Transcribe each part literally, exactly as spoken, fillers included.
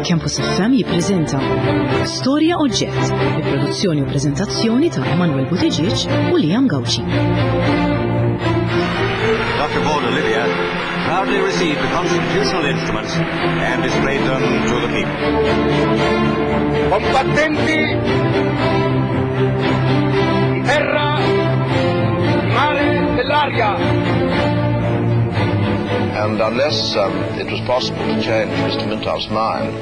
Campus F M jippreżenta Storja Oġġett, bi produzzjoni u preżentazzjoni ta' Emanuel Buttigieg u Liam Gauci. Doctor Paul Olivia proudly received the constitutional instruments and displayed them to the people. Combattenti di terra, di mare, dell'aria. And unless um, it was possible to change Mister Mintoff's mind,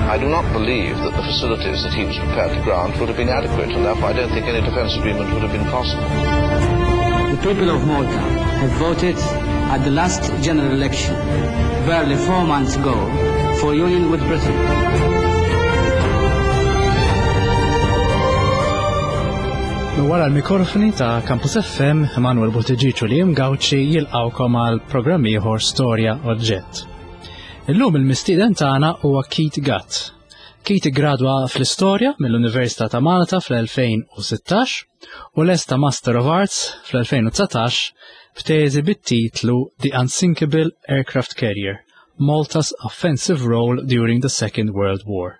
I do not believe that the facilities that he was prepared to grant would have been adequate, and therefore I don't think any defence agreement would have been possible. The people of Malta have voted at the last general election, barely four months ago, for union with Britain. Wara l-mikrofoni ta' Campus F M, Emanuel Buttigieg u Liam Gauci jilqawkom għal programm ieħor Storja Oġġett. Illum il-mistieden tagħna huwa Keith Gatt. Keith iggradwa fl-istorja mill-Università ta' Malta fl-elfejn u sittax u lesta Master of Arts fl-elfejn u dsatax b'teżi bit-titlu The Unsinkable Aircraft Carrier, Malta's Offensive Role During the Second World War.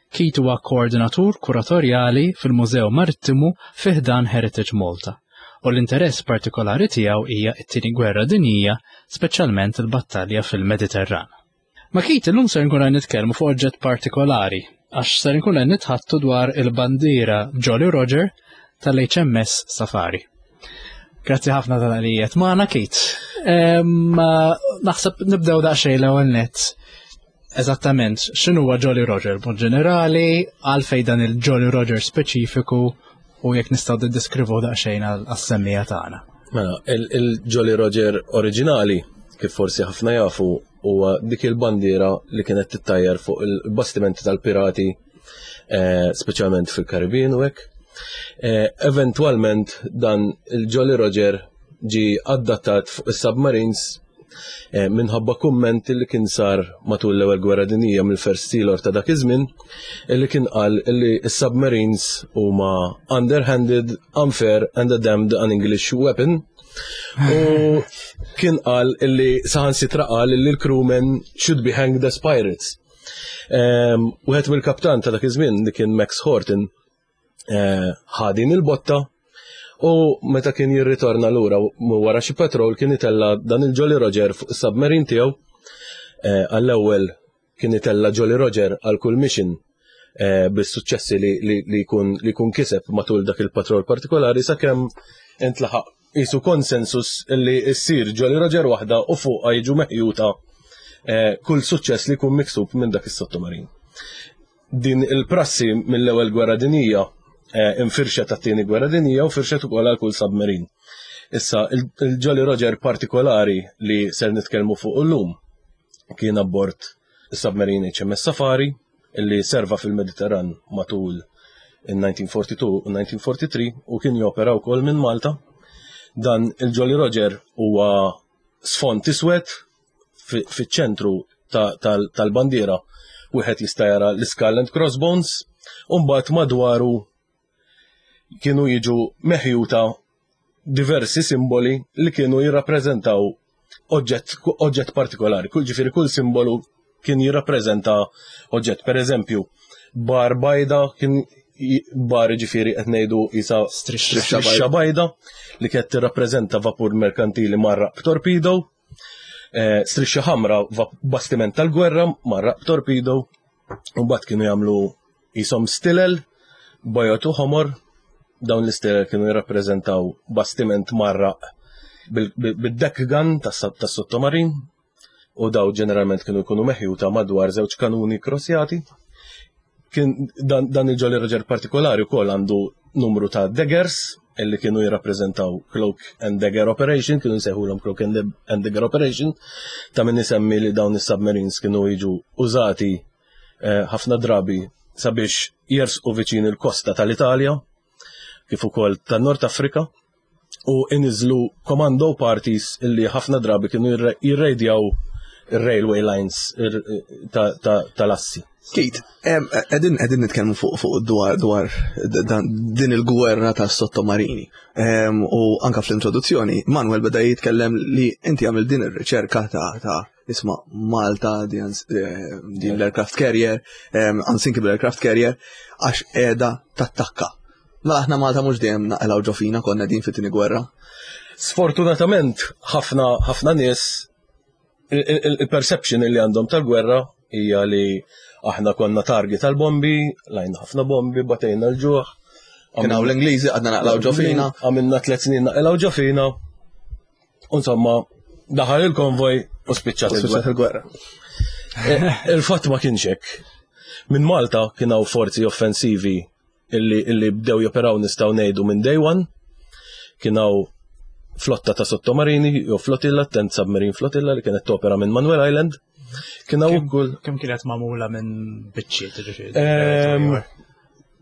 Keith huwa koordinatur kuratorjali fil-Mużew Marittimu fi ħdan Heritage Malta u l-interess partikolari tiegħu hija t-Tieni Gwerra Dinjija, speċjalment il-battalja fil-Mediterran. Ma' Keith illum ser nkun qed nitkellmu fuq oġġett partikolari għax ser nkun qed nitħattu dwar il-bandiera Jolly Roger tal-H M S Safari. Grazzi ħafna tal-għalijiet. Magħna Keith. Ehm, naħseb nibdew daqsxejn l-ewwel nett. Eżattament, x'inhu huwa Jolly Roger b'mod ġenerali, għalfejn dan il-Jolly Roger speċifiku u jekk nistgħu niddeskrivu daqsxejn għal-, għas-semmija tagħna. Mela, il-, il-Jolly Roger oriġinali, kif forsi ħafna jafu, huwa dik il-bandiera li kienet tittajjar fuq il-bastimenti tal-pirati, eh, speċjalment fil-Karibin u hekk. Eh, eventwalment dan il-Jolly Roger ġi adattat fuq is-submarines, eh, minħabba kumment li kien sar matul l-ewwel gwerra dinjija mill-First Sea Lord ta' dak iż-żmien, illi kien qal illi s-submarines huma underhanded, unfair and a damned un-English weapon. U kien qal illi saħansitra qal illi l-crewmen should be hanged as pirates. Ehm, wieħed mill-kaptan ta' dak iż-żmien li kien Max Horton, eh, ħa din il-botta u meta kien jirritorna lura wara xi patrol kien itella dan il-Jolly Roger fuq is-submarine tiegħu. Eh, għall-ewwel kien itella Jolly Roger għal kull mission, eh, bis-suċċessi li, li, li jkun, li jkun kiseb matul dak il-patrol partikolari sakemm intlaħaq qisu konsensus li ssir Jolly Roger waħda u fuqha jiġu meħjuta, eh, kull suċċess li jkun miksub minn dak is-sottomarin. Din il-prassi mill-ewwel gwerra dinjija, eh, infirxet tat-tieni gwerra dinjija u firxet ukoll għal kull submarin. Issa, il-, il-Jolly Roger partikolari li ser nitkellmu fuq illum kien abbord is-submarine H M S Safari illi serva fil-Mediterran matul in-nineteen forty-two u nineteen forty-three u kien jopera wkoll minn Malta. Dan il-Jolly Roger huwa sfond iswed fi-, fiċ-ċentru ta-, tal-, tal-bandiera wieħed jista' jara l-Skull and Crossbones u mbagħad madwaru kienu jiġu meħjuta diversi simboli li kienu jirrappreżentaw oġġett, oġġett partikolari. Kull ġifieri kull simbolu kien jirrappreżenta oġġett. Per eżempju, bar bajda kien j-, bar ġifieri qed ngħidu isa Strixxa strixxa bajda li kienet tirrappreżenta vapur merkantili marraq b'torpedo. Eh, strixxa ħamra va-, bastiment tal-gwerra marraq b'torpedo. U mbagħad kienu jagħmlu isom stilel bajot u ħomor. Dawn l-istilel kienu jirrappreżentaw bastiment marraq bil-, bil-, bid-deck gun tas-, tas-sottomarin u daw ġeneralment kienu jkunu meħjuta madwar żewġ kanuni krosjati. Kien dan, dan il-Jolly Roger partikolari wkoll għandu numru ta' daggers illi kienu jirrappreżentaw Cloak and Dagger Operation, kienu nsejħulhom Cloak and Dab-, and Dagger Operation, ta' min isemmi li dawn is-submarines kienu jiġu użati, eh, ħafna drabi sabiex jersqu viċin il-kosta tal-Italja, kif ukoll tan-Nord Afrika, u iniżlu commando parties illi ħafna drabi kienu jirre-, jirrejdjaw ir-railway lines ir-, ta-, ta-, tal-assi. Keith, em, qegħdin, qegħdin nitkellmu fuq, fuq dwar, dwar dan, din il-gwerra ta' sottomarini. Em, u anka fl-introduzzjoni, Manuel beda jitkellem li inti għamil din ir-riċerka ta', ta' Isma' Malta din eh, din l-aircraft carrier, em, unsinkable aircraft carrier, għax qiegħda tattakka. Mela aħna Malta mhux dejjem naqilgħu ġo fina konna din fit-tieni gwerra. Sfortunatament, ħafna ħafna nies il-perception li għandhom tal-gwerra hija li aħna konna target tal-bombi, qlajna ħafna bombi, batejna l-ġuħ. Kien hawn l-Ingliżi għadna naqilgħu ġo fina. Għamilna tliet snin naqilgħu ġo fina. Insomma, daħal il-konvoj u spiċċat Spiċċat il-gwerra. il-gwerra. Eh, Il-fatt ma kienx hekk. Minn Malta kien hawn forzi offensivi illi, illi bdew joperaw, nistgħu ngħidu, minn day one. Kien hawn flotta ta' sottomarini, jew flotilla, Tenth Submarine Flotilla, li kienet topera minn Manuel Island. Kien hawn ukoll Kemm kienet magħmula minn biċċiet, ġifieri? Ehm,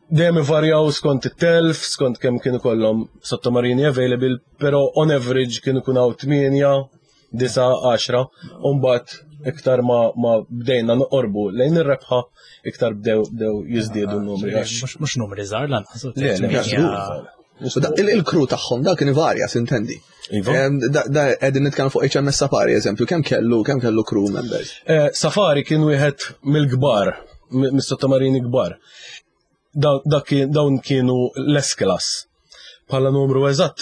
Dejjem ivarjaw skont it-telf, skont kemm kienu kollhom sottomarini available, però on average kienu kun hawn tmienja, disa', għaxra, u mbagħad iktar ma, ma bdejna noqorbu lejn ir-rebħa, iktar bdew bdew jiżdiedu n-numri. għax- Mhux mhux numri żgħar lanqas. Le, le, Tmienja- U da- il- Il-crew tagħhom da kien ivarja, sintendi. Iva. Em, Da da qegħdin nitkellmu fuq H M S Safari, eżempju, kemm kellu kemm kellu crew members? Eh, Safari kien wieħed mill-kbar, mi- mis-sottomarini kbar. Da- dak kien- Dawn kienu l-S-class. Bħala numru eżatt,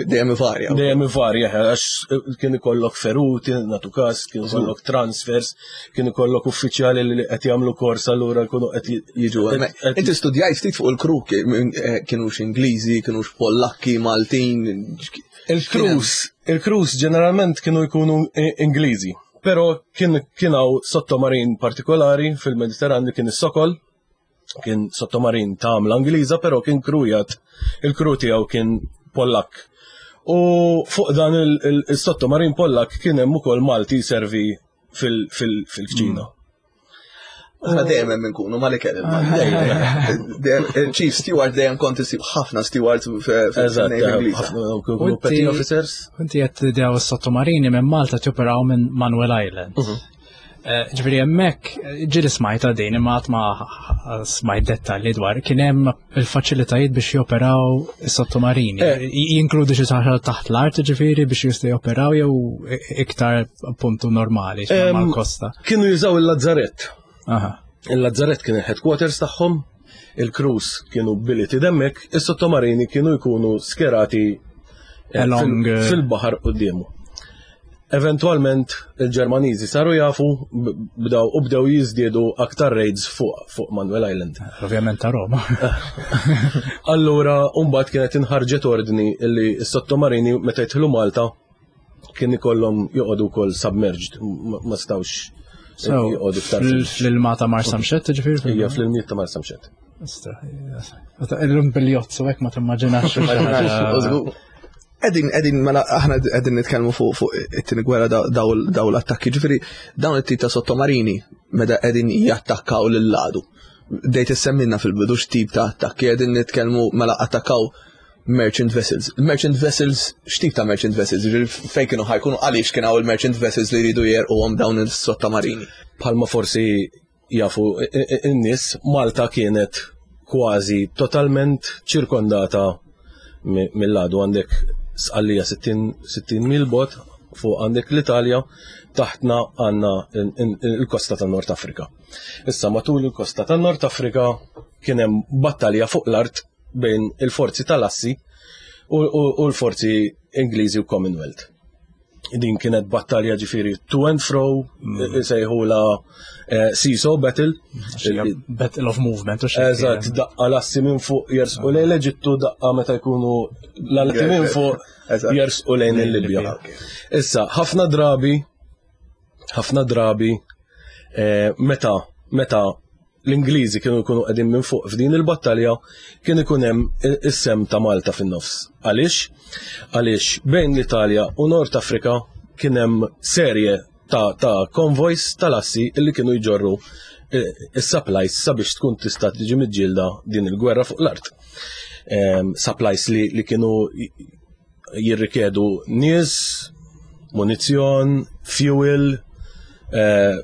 Dejjem ivarja. dejjem ivarja, għax kien ikollok feruti, natu kas, kien ikollok transfers, kien ikollok uffiċjali li qed jagħmlu kors, allura jkunu qed Jiġu, qed- qed- Inti studjajt ftit fuq il-crew, ki- eh, kienux Ingliżi, kienux Pollakki, Maltin. Il-crews, il-crews ġeneralment kienu jkunu I- Ingliżi, pero kien kien hawn sottomarin partikolari fil-Mediterran li kien is-Sokol, kien sottomarin ta' għamla Ingliża, pero kien krujat, il-crew tiegħu kien Pollak. U fuq dan il- il- il-sottomarin Pollak kien hemm ukoll Malti servi fil- fil- fil-kċina. Aħna dejjem hemm inkunu mal-ikel il-Chief Steward dejjem kont isib ħafna stewards Eżatt, fil-Navy Ingliża. ħafna kienu petty officers. Inti qed daw is-sottomarini minn Malta joperaw minn Manuel Island. Eh, Ġifieri hemmhekk ġieli smajta din, imma qatt ma smajt dettalji dwar kien hemm il-faċilitajiet biex joperaw is-sottomarini. Eh. Jinkludi xi ħaġa taħt l-art, ġifieri, biex jistgħu joperaw, jew iktar puntu normali Em, mal-kosta? Kienu jużaw il-Lazzarett. Aha. Il-Lazzarett kien il-headquarters tagħhom, il-crews kienu billeted hemmhekk, is-sottomarini kienu jkunu skerati eh, Along, fil- eh, fil-baħar quddiemu. Eventualment il-Ġermaniżi saru jafu b- bdew u bdew jiżdiedu aktar raids fuq fuq Manuel Island. Ovvjament ta' Roma. Allura, mbagħad kienet inħarġet ordni illi s-sottomarini meta jidħlu Malta kien ikollhom joqogħdu wkoll submerged, ma ma stawx So, joqogħdu iktar fil- fl-ilma ta' Marsamxett, ġifieri? Hija fl-ilmijiet ta' Marsamxett. Istra, illum bil-jotz u hekk ma timmaġinax. Qegħdin, qegħdin, mela, aħna qegħdin nitkellmu fuq fuq it-tieni gwerra, daw daw l-attakki, ġifieri dawn it-tip ta' sottomarini meta qegħdin jattakkaw lil-għadu. Bdejt issemmilna fil-bidu x'tip ta' attakki qegħdin nitkellmu, mela attakkaw merchant vessels. Merchant vessels, x'tip ta' merchant vessels? Ġifieri fejn kienu ħa jkunu, għaliex kien hawn il-merchant vessels li jridu jegħrquhom dawn is-sottomarini? Bħalma forsi jafu in-nies, Malta kienet kważi totalment ċirkondata mi- mill-għadu. Għandek Sqallija sittin sittin mil bot, fuq għandek l-Italja, taħtna għandna il-kosta ta' Nord Afrika. Issa matul il-kosta ta' Nord Afrika kien hemm battalja fuq l-art bejn il-forzi tal-Assi u, u, u l-forzi Ingliżi u Commonwealth. Din kienet battalja ġifieri to and fro, mm. sejħula eh, seesaw battle. Battle of movement u xi. Eżatt, daqqa l-Assi minn fuq jersqu lejn l-Eġittu, daqqa meta jkunu l-Assi minn fuq Eżatt. jersqu lejn il-Libja. Issa, ħafna drabi, ħafna drabi, eh, meta, meta l-Ingliżi kienu jkunu qegħdin minn fuq f'din il-battalja, kien ikun hemm is-sehem ta' Malta fin-nofs. Għaliex? Għaliex bejn l-Italja u Nord Afrika kien hemm serje ta', ta' convoys tal-Assi illi kienu jġorru eh, is-supplies sabiex tkun tista' tiġi miġġielda din il-gwerra fuq l-art. Em, supplies li, li kienu jirrikjedu nies, munizzjon, fuel, eh,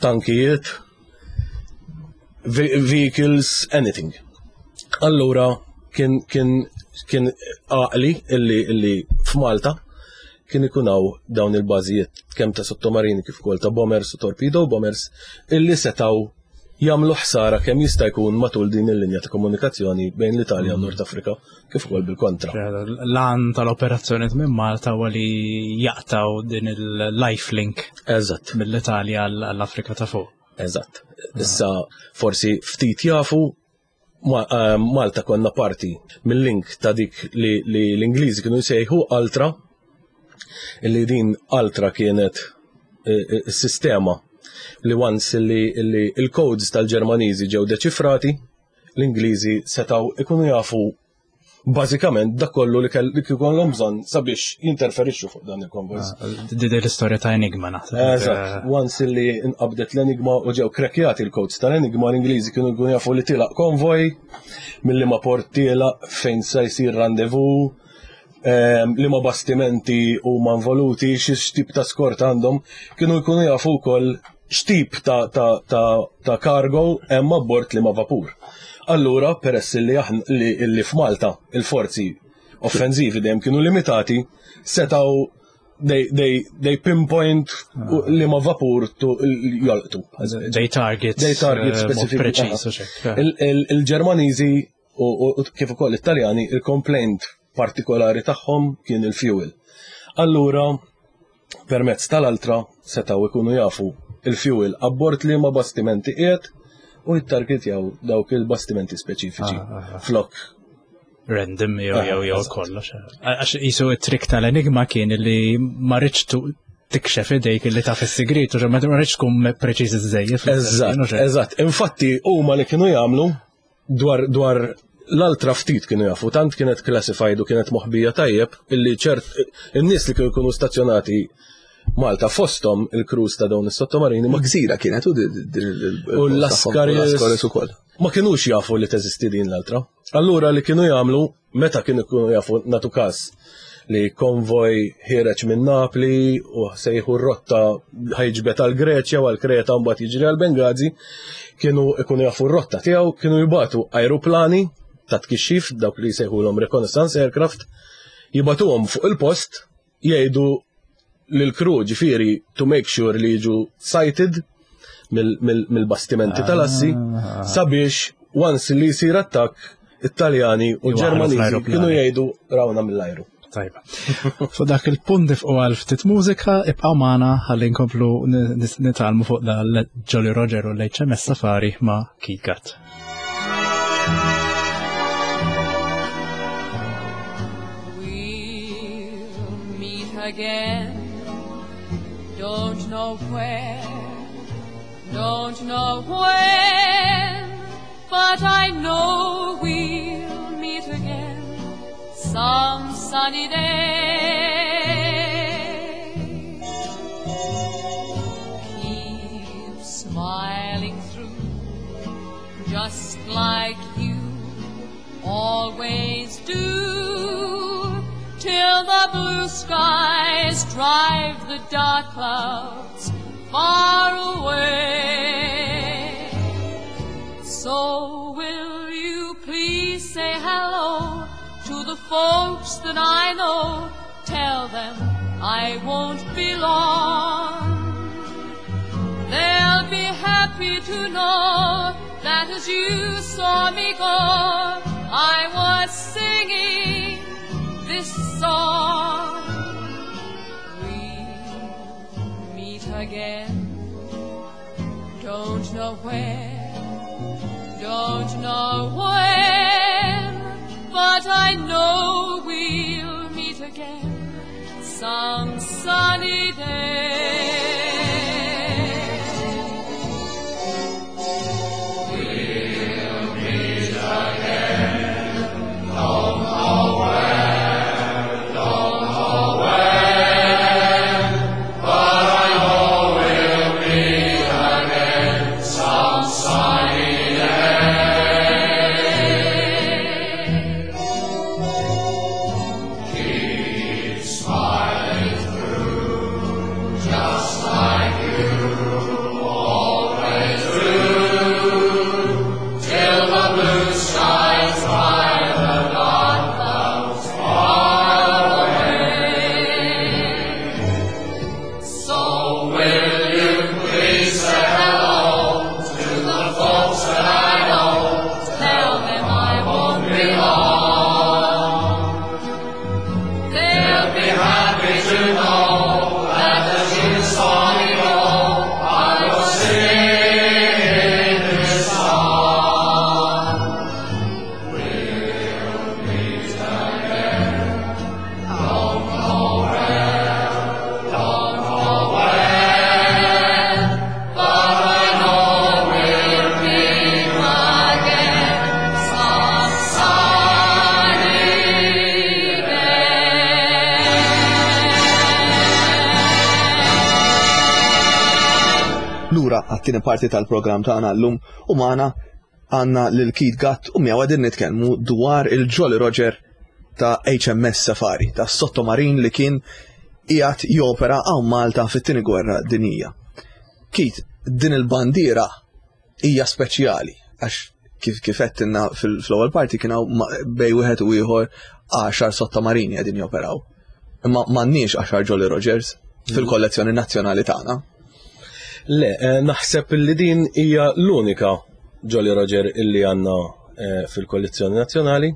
tankijiet, ve- vehicles, anything. Allura kien kien kien għaqli illi illi f'Malta kien ikun hawn dawn il-bażijiet kemm ta' sottomarini kif ukoll ta' bombers u torpedo bombers illi setgħu jagħmlu ħsara kemm jista' jkun matul din il-linja ta' komunikazzjoni bejn l-Italja u Nord Afrika kif ukoll bil-kontra. L-għan tal-operazzjoni minn Malta huwa li jaqtaw din il-lifelink Eżatt. mill-Italja għall-Afrika ta' fuq. Eżatt. Issa forsi ftit jafu ma, eh, Malta konna parti mill-link ta' dik li, li l-Ingliżi kienu jsejħu Ultra, illi din Ultra kienet eh, eh, sistema li once li, li il-codes tal-Ġermaniżi ġew deċifrati, l-Ingliżi setaw ikunu jafu bażikament dak kollu li kell- li kiekollhom bżonn sabiex jinterferixxu fuq dan il-konvojs. Di l-istorja ta' Enigma naħseb. Eżatt, once li inqabdet l-Enigma u ġew krekjati l-codes tal-Enigma, l-Ingliżi kienu jkunu jafu li tilaq konvoj, mill ma port tilaq fejn se jsir rendezvous, ehm, li ma bastimenti huma involuti, xi tip ta' skort għandhom, kienu jkunu jafu wkoll x'tip ta', ta, ta, ta' cargo hemm abbord li ma vapur. Allura, peress li aħna li, li f'Malta il-forzi offensivi dejjem kienu limitati, setaw they, they, they pinpoint li ma vapur tu jolqtu. They target. They target eh, mod specific. preċiż u xek. Il- il- Il-Ġermaniżi u u kif ukoll it-Taljani il-complaint partikolari tagħhom kien il-fuel. Allura, permezz tal-Ultra setaw ikunu jafu il-fuel abbord li ma bastimenti qiegħed u jittargetjaw dawk il-bastimenti speċifiċi. Ah, ah, ah. Flok. Random jew Ah, jew jew eżatt. kollox. Għax jisu it-trick tal-Enigma kien li ma rridx tu- tikxef idejk li taf is-sigrit u ma rridx tkun preċiż iżejjed. Eżatt, eżatt. Infatti huma li kienu jagħmlu dwar dwar l-Ultra ftit kienu jafu, tant kienet classified u kienet moħbija tajjeb illi ċert in-nies li kienu jkunu stazzjonati Malta fosthom il-crews ta' dawn is-sottomarini Ma ma gżira kienet u din il- U l-Lascaris. Lascaris ukoll. ma kienux jafu li teżisti din l-Ultra. Allura li kienu jagħmlu meta kienu jkunu jafu natu każ li konvoj ħiereġ minn Napli u sejħu r-rotta ħa jiġbed għal Greċja u għal Kreta mbagħad jiġri għal Bengazi, kienu ikunu jafu r-rotta tiegħu, kienu jibatu ajruplani ta' tkixxif dawk li jsejħulhom reconnaissance aircraft, jibatuhom fuq il-post jgħidu lil-crew ġifieri to make sure li jiġu sighted mill- mill- mill-bastimenti tal-assi Ah. sabiex once li jsir attakk it-Taljani u Iwaħħlu l-Ġermaniżi fl-ajruplani. kienu jgħidu rawna mill-ajru. Tajba. Fuq dak il-punt nifqu għal ftit mużika, ibqgħu magħna ħalli nkomplu nitgħallmu fuq dal Jolly Roger u l-H M S Safari ma' Keith Gatt. We'll meet again. Don't know where, don't know when, but I know we'll meet again some sunny day. Keep smiling through, just like you always do, till the blue skies drive the dark clouds far away. So will you please say hello to the folks that I know? Tell them I won't be long. They'll be happy to know that as you saw me go, I was singing this song. We'll meet again. Don't know where, don't know when, but I know we'll meet again some sunny day. Lura għat-tieni parti tal-programm tagħna llum u magħna għandna lil Keith Gatt u miegħu qegħdin nitkellmu dwar il-Jolly Roger ta' H M S Safari, ta' sottomarin li kien qiegħed jopera hawn Malta fit-tieni gwerra dinjija. Keith, din il-bandiera hija speċjali għax kif kif għedtilna fil-ewwel parti kien hawn bejn wieħed u ieħor għaxar sottomarini qegħdin joperaw. Imma m'għandniex għaxar Jolly Rogers fil-kollezzjoni nazzjonali tagħna. Le, eh, naħseb li din hija l-unika Jolly Roger illi għandna eh, fil-kollezzjoni nazzjonali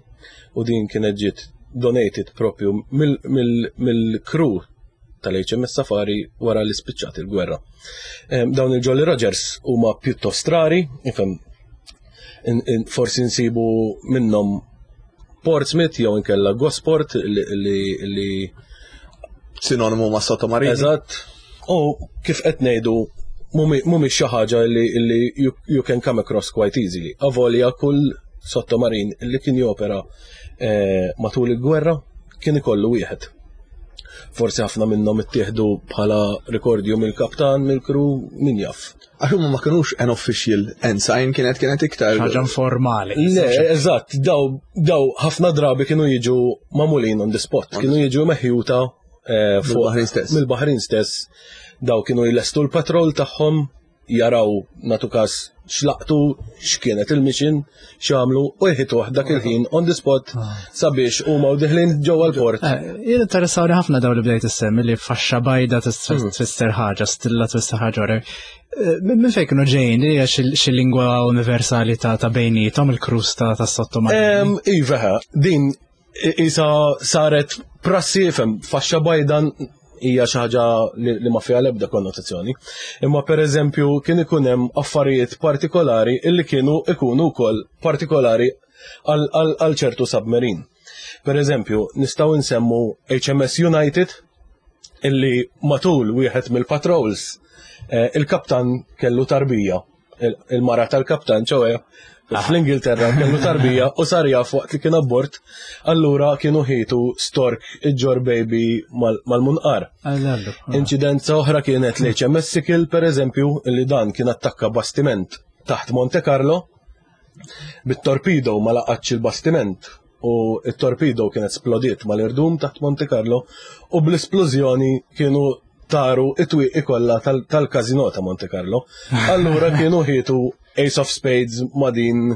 u din kienet ġiet donated propju mill-crew tal-H M S Safari wara li spiċċat il-gwerra. Dawn il-Jolly Rogers huma pjuttost rari, ifhem, forsi nsibu minnhom Portsmouth jew inkella Gosport li li sinonimu ma' sottomarini. Eżatt. U kif qed ngħidu, mhumiex xi ħaġa li li you, you can come across quite easily. Avolja kull sottomarin li kien jopera eh, matul il-gwerra kien ikollu wieħed. Forsi ħafna minnhom ittieħdu bħala rikordju mill-kaptan, mill-crew, min jaf. Għax huma ma kinux an official ensign, kienet kienet iktar. Ħaġa informali. Le, eżatt, daw, daw ħafna drabi kienu jiġu magħmulin on the spot, kienu jiġu meħjuta eh, fuq- Mill-baħrin stess. Mill-baħrin stess. Daw kienu jlestu l-patrol tagħhom, jaraw natu kas x'laqtu, x'kienet il-mission, x'għamlu u jħituh dak il-ħin on the spot sabiex huma u deħlin ġewwa l-port. Eh, Jien interessawni ħafna daw li bdejt issemmi li faxxa bajda tfisser ħaġa, stilla tfisser ħaġa. Ora. Eh, Minn fejn kienu ġejjin, li hija xi xi lingwa universali ta' ta' bejnietom il-crews ta' ta' sottomarini? Em, Iva, din isa saret prassi, fem, faxxa bajda hija xi ħaġa li, li ma fiha l-ebda konnotazzjoni. Imma per eżempju kien ikun hemm affarijiet partikolari illi kienu ikunu wkoll partikolari għal- għal għal ċertu submarine. Per eżempju, nistgħu nsemmu H M S United illi matul wieħed mill-patrols eh, il-kaptan kellu tarbija. Il- Il-mara tal-kaptan, ċoè, fl-Ingilterra kellu tarbija u sar jaf waqt li kien abbord, allura kienu ħitu stork iġġor baby mal- mal-munqar. Allallu. Inċidenza oħra kienet l-H M S Sickle, per eżempju, li dan kien attakka bastiment taħt Monte Carlo, bit-torpedo ma laqatx il-bastiment u il-torpedo kienet splodiet mal-irdum taħt Monte Carlo u bl-esplużjoni kienu taru it-twieqi kollha tal- tal-kazino ta' Monte Carlo. Allura kienu ħietu Ace of Spades ma' din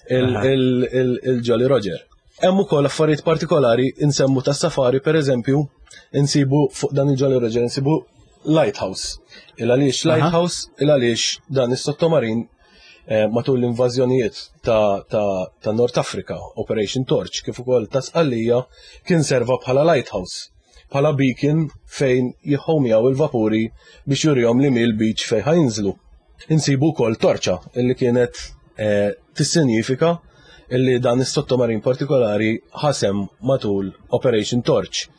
il- il- il- il-Jolly Roger. Hemm ukoll affarijiet partikolari insemmu tas-safari, per eżempju, insibu fuq dan il-Jolly Roger insibu lighthouse. Il għaliex lighthouse? Il għaliex dan is-sottomarin eh, matul l-invażjonijiet ta', ta, ta' North Africa, Operation Torch, kif ukoll ta' Sqallija, kien serva bħala lighthouse, bħala beacon fejn jħomjaw il-vapuri biex jurihom li mill-beach fejn ħa jinżlu. Insibu wkoll torċa illi kienet eh, tissinjifika illi dan is-sottomarin partikolari ħasem matul Operation Torch.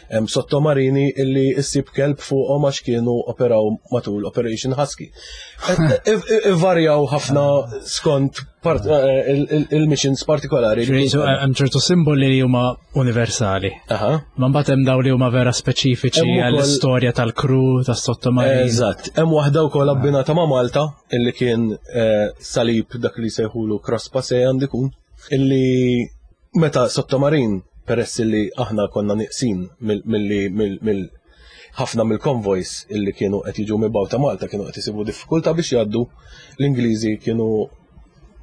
Hemm sottomarini illi issib kelb fuqhom għax kienu operaw matul Operation Husky. Varjaw ħafna skont part- eh, il- il- il-missions partikolari. Hemm ċertu simboli li huma universali. Aha. Ma mbagħad hemm daw li huma vera speċifiċi Hemm ukoll- għall-istorja tal-crew tas-sottomarin. Eżatt, hemm waħda wkoll abbinata ma' Malta illi kien eh, salib dak li sejħulu cross passe għandikun illi meta sottomarin, peress illi aħna konna niqsin mill- mill mill ħafna mill-convoys illi kienu qed jiġu mibgħuta Malta kienu qed isibu diffikultà biex jgħaddu, l-Ingliżi kienu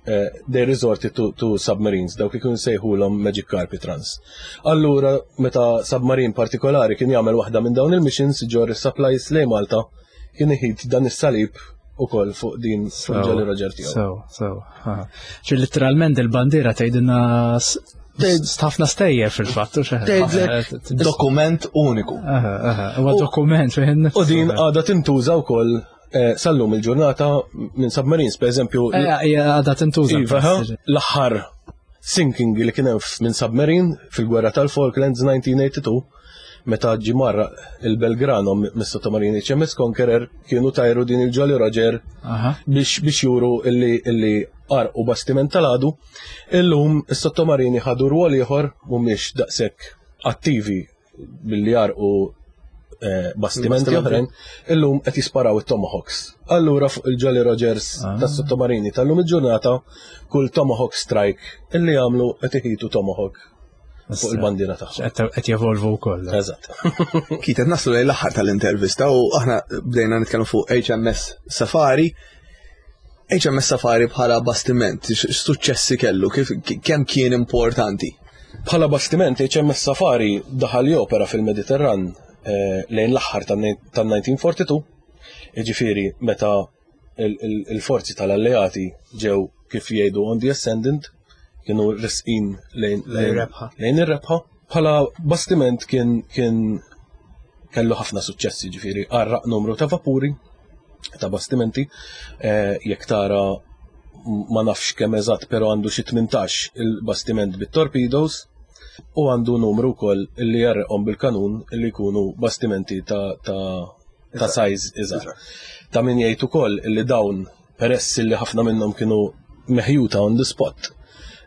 eh, they resorted to, to submarines, dawk kienu sejħulhom Magic Carpet Runs. Allura, meta submarine partikolari kien jagħmel waħda minn dawn il-missions ġor is-supplies lejn Malta, kien iħid dan is-salib ukoll fuq din fuq Jolly Roger tiegħu. So, so. Ċi literalment il-bandiera tgħidilna s- ħafna stejjer fil-fatt. u xi ħaġa. Tgħidlek dokument uniku. Aha, aha, huwa dokument fejn U din għadha tintuża wkoll eh, sallum il-ġurnata minn submarines, per eżempju, Hija għadha tintuża. Iva, ha, l-aħħar sinking li kien hemm minn submarine fil-gwerra tal-Falklands elf disa' mija u tnejn u tmenin, meta ġie mgħarraq il-Belgrano mis-sottomarini H M S Conqueror, kienu tajru din il-Jolly Roger Aha. biex biex juru illi illi għarqu bastiment tal-għadu. Illum is-sottomarini ħadu rwol ieħor, mhumiex daqshekk attivi billi għarqu eh, bastimenti oħrajn, illum qed jisparaw it-Tomahawks. Allura fuq il-Jolly Rogers ah. tas-sottomarini tal-lum il-ġurnata, kull Tomahawk strike illi jagħmlu qed iħitu Tomahawk fuq il-bandiera tagħhom. Qed jevolvu wkoll. Eżatt. Keith, qed naslu lejn l-aħħar tal-intervista u aħna bdejna nitkellmu fuq H M S Safari. H M S Safari bħala bastiment, x'suċċessi kellu, kif kemm kien importanti? Bħala bastiment, H M S Safari daħal jopera fil-Mediterran eh, lejn l-aħħar tan-elf disa' mija u erbgħa u erbgħin, jiġifieri meta il-forzi tal-alleati ġew, kif jgħidu, on the ascendant, kienu resqin lejn lejn ir-rebħa. Bħala bastiment kien kien kellu ħafna suċċessi, ġifieri għarraq numru ta' vapuri, ta' bastimenti, eh, jekk tara, ma nafx kemm eżatt, però għandu xi tmintax il-bastiment bit-torpedoes u għandu numru wkoll li jgħarraqhom bil-kanun, li jkunu bastimenti ta' ta' ta' size iżgħar. Ta' min jgħid ukoll li dawn, peress li ħafna minnhom kienu meħjuta on the spot,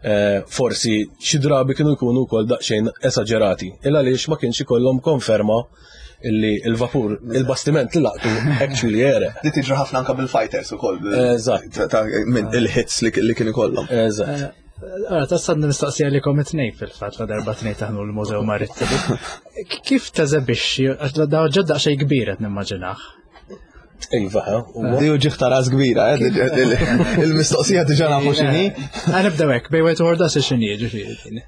eh, forsi xi drabi kienu jkunu wkoll daqsxejn esaġerati. Il għaliex ma kienx ikollhom konferma illi il-vapur, il-bastiment li laqtu actually għereq. Di tiġri ħafna anka bil-fighters ukoll. Eżatt. Minn il-hits li kien ikollhom. Eżatt. Għara, eh, tassan nistaqsija li kom it-tnejn fil-fatt, la darba tnejn taħnu l-Mużew Marittimu. Kif teżebixxi, għax da ġedda xej kbir qed nimmaġinah? Iva, Di uġigħ ta' ras kbira, eh, il-mistoqsija diġà nafu x'inhi. Nibdew hekk, bejn wieħed u x'inhi, ġifieri.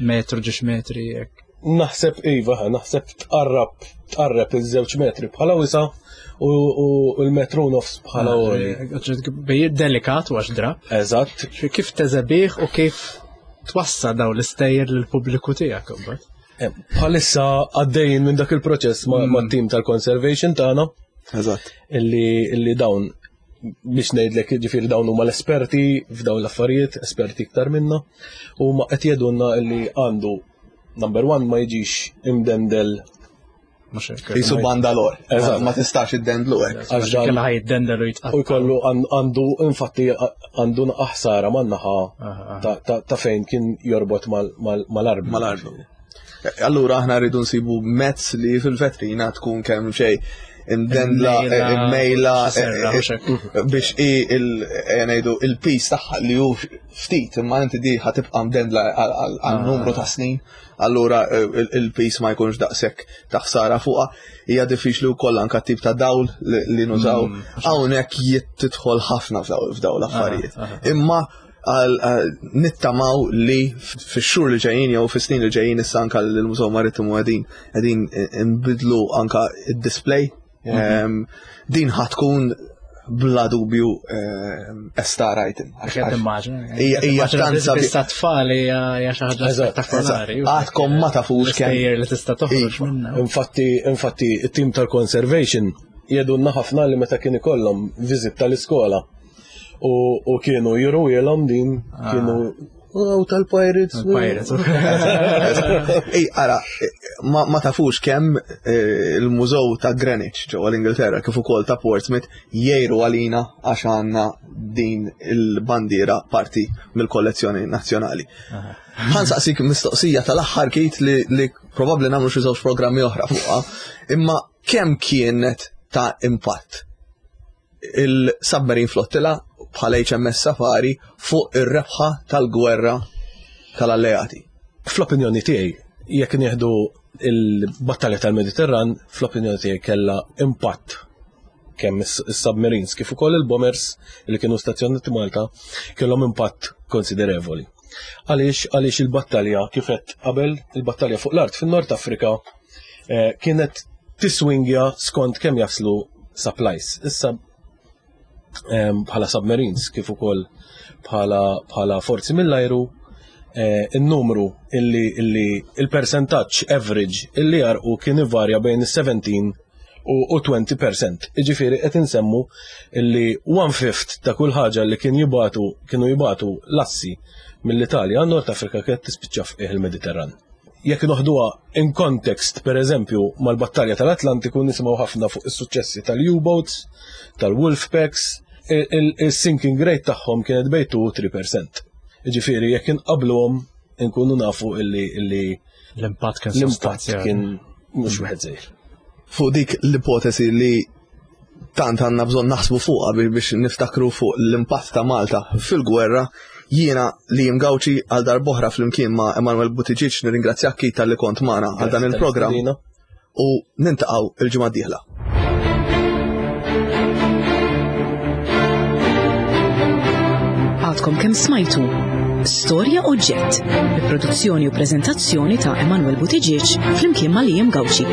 Metru, ġiex metri, hekk. Naħseb iva, naħseb tqarrab tqarreb iż-żewġ metri bħala wisa' u l-metru nofs bħala għoli. Bej delikat u għax drab. Eżatt. Kif teżebih u kif twassal daw l-istejjer lill-pubbliku tiegħek imbagħad? Eh, bħalissa għaddejjin minn dak il-proċess ma' mm. team tal-conservation tagħna. Eżatt. Illi, illi dawn, biex ngħidlek, ġifieri dawn huma l-esperti f'dawn l-affarijiet, esperti iktar minna, u ma qed jgħidulna illi għandu, number one, ma jiġix imdendel. Jisu bandalor. Eżatt. Ma tistax iddendlu hekk. Għax dan- Kella ħa jiddendel u jitqatta'. U jkollu għandu, infatti għandu ħsara man-naħa ta- ta- ta' fejn kien jorbot mal-arblu. Mal-arblu. Allura aħna rridu nsibu mezz li fil-vetrina tkun kemm xejn imdendla, Immejla, immejla, xi serra, u xek. biex i il ngħidu il-piż tagħha li hu ftit, imma inti di ħa tibqa' mdendla għal għal numru ta' snin, allura eh, il-piż ma jkunx daqshekk ta' ħsara fuqha. Hija diffiċli wkoll anka tip ta' dawl li li nużaw. Hawnhekk jittidħol ħafna f'daw f'daw l-affarijiet. Imma għal għal- nittamaw li fix-xhur li ġejjin jew fis-snin li ġejjin, issa anka l-Mużew Marittimu qegħdin qegħdin nbidlu anka id-display. Em, Din ħa tkun bla dubju em, a star item. Għax qed immaġina. Hija- hija tant sabi- Bissa tfal hija hija xi ħaġa Eżatt, spettakolari. Għadkom ma tafux kemm. L-istejjer li tista' toħroġ Iva. minnha. Infatti, infatti, it-team tal-conservation jgħidulna ħafna li meta kien ikollhom visit tal-iskola u, u kienu juruhielhom din, kienu, "Oh, tal-pirates." Pirates. Ej, ara, ma, ma tafux kemm eh, il-mużew ta' Greenwich ġewwa l-Ingilterra kif ukoll ta' Portsmouth jgħiru għalina għax għandna din il-bandiera parti mill-kollezzjoni nazzjonali. Ħa nsaqsik mistoqsija tal-aħħar, Keith, li, li probabbli nagħmlu xi żewġ programmi oħra fuqha, imma kemm kienet ta' impatt il-submarine flottilla bħala H M S Safari fuq ir-rebħa tal-gwerra tal-alleati? Fl-opinjoni tiegħi, jekk nieħdu il-battalja tal-Mediterran, fl-opinjoni tiegħi kellha impatt kemm is-submarines kif ukoll il-bombers li kienu stazzjonati Malta kellhom impatt konsiderevoli. Għaliex għaliex il-battalja, kif għedt qabel, il-battalja fuq l-art fin-Nord Afrika eh, kienet tiswingja skont kemm jaslu supplies. Issa em, bħala submarines kif ukoll bħala bħala forzi mill-ajru, eh, il-numru illi illi il-percentaġġ average illi jgħarrqu kien ivarja bejn is-sbatax u, u għoxrin fil-mija. Iġifieri qed insemmu illi one fifth ta' kull ħaġa li kien jibatu kienu jibatu l-assi mill-Italja għan Nord Afrika kienet tispiċċa f'qiegħ il-Mediterran. Jekk noħduha in context, per eżempju, mal-battalja tal-Atlantiku, nisimgħu ħafna fuq is-suċċessi tal-U-boats, tal-Wolfpacks, il-sinking rate tagħhom kienet bejn tnejn u tlieta fil-mija. Ġifieri jekk inqabluhom inkunu nafu illi illi L-impatt kien l-impatt sostanzjali. kien mhux wieħed żgħir. Fuq dik l-ipotesi li tant għandna bżonn naħsbu fuqha biex niftakru fuq l-impatt ta' Malta fil-gwerra, jiena Liam Gauci għal darb'oħra flimkien ma' Emanuel Buttigieg nirringrazzjak Keith talli kont magħna għal dan il-programm u niltaqgħu il-ġimgħa d-dieħla. Għadkom kemm smajtu Storja Oġġett, bi produzzjoni u preżentazzjoni ta' Emanuel Buttigieg flimkien ma' Liam Gauci.